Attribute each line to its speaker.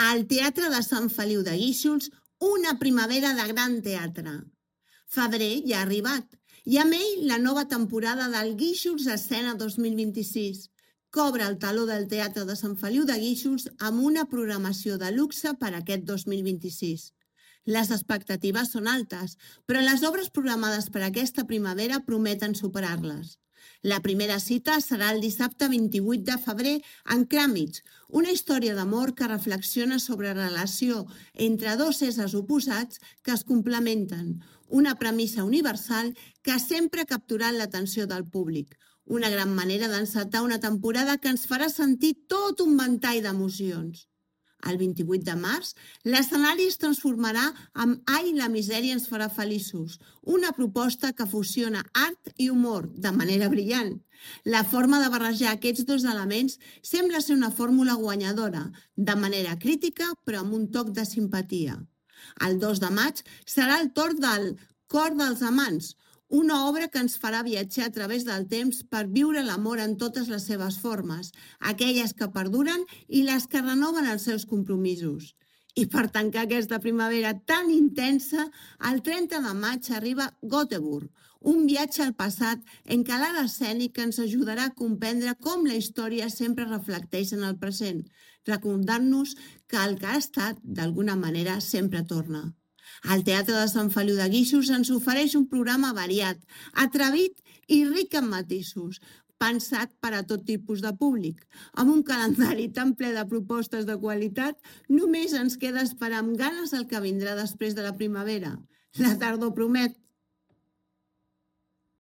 Speaker 1: Al Teatre de Sant Feliu de Guíxols, una primavera de gran teatre. Febrer ja ha arribat i amb ell la nova temporada del Guíxols Escena 2026. Cobra el taló del Teatre de Sant Feliu de Guíxols amb una programació de luxe per aquest 2026. Les expectatives són altes, però les obres programades per aquesta primavera prometen superar-les. La primera cita serà el dissabte 28 de febrer en Cràmits, una història d'amor que reflexiona sobre la relació entre dos éssers oposats que es complementen, una premissa universal que sempre ha capturat l'atenció del públic, una gran manera d'encetar una temporada que ens farà sentir tot un ventall d'emocions. El 28 de març, l'escenari es transformarà en Ai, la misèria ens farà feliços, una proposta que fusiona art i humor de manera brillant. La forma de barrejar aquests dos elements sembla ser una fórmula guanyadora, de manera crítica però amb un toc de simpatia. El 2 de maig serà el torn del Cor dels Amants, una obra que ens farà viatjar a través del temps per viure l'amor en totes les seves formes, aquelles que perduren i les que renoven els seus compromisos. I per tancar aquesta primavera tan intensa, el 30 de maig arriba Göteborg, un viatge al passat en què l'art escènic ens ajudarà a comprendre com la història sempre reflecteix en el present, recordant-nos que el que ha estat, d'alguna manera, sempre torna. El Teatre de Sant Feliu de Guíxols ens ofereix un programa variat, atrevit i ric en matisos, pensat per a tot tipus de públic. Amb un calendari tan ple de propostes de qualitat, només ens queda esperar amb ganes el que vindrà després de la primavera. La tardor promet.